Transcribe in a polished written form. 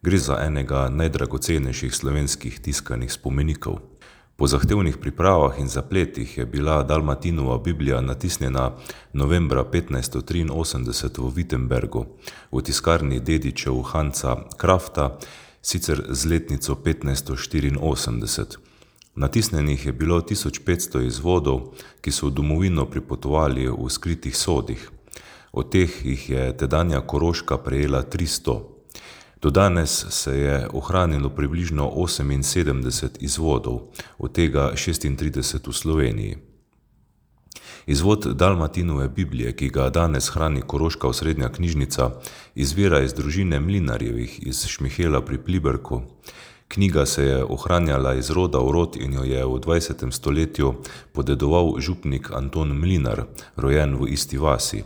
Gre za enega najdragocenejših slovenskih tiskanih spomenikov. Po zahtevnih pripravah in zapletih je bila Dalmatinova Biblija natisnjena novembra 1583 v Wittenbergu v tiskarni dedičev Hansa Krafta, sicer z letnico 1584. Natisnjenih je bilo 1500 izvodov, ki so v domovino pripotovali v skritih sodih. Od teh jih je tedanja Koroška prejela 300. Do danes se je ohranilo približno 78 izvodov, od tega 36 v Sloveniji. Izvod Dalmatinove Biblije, ki ga danes hrani Koroška osrednja knjižnica, izvira iz družine Mlinarjevih iz Šmihela pri Pliberku. Knjiga se je ohranjala iz roda v rod in jo je v 20. stoletju podedoval župnik Anton Mlinar, rojen v isti vasi.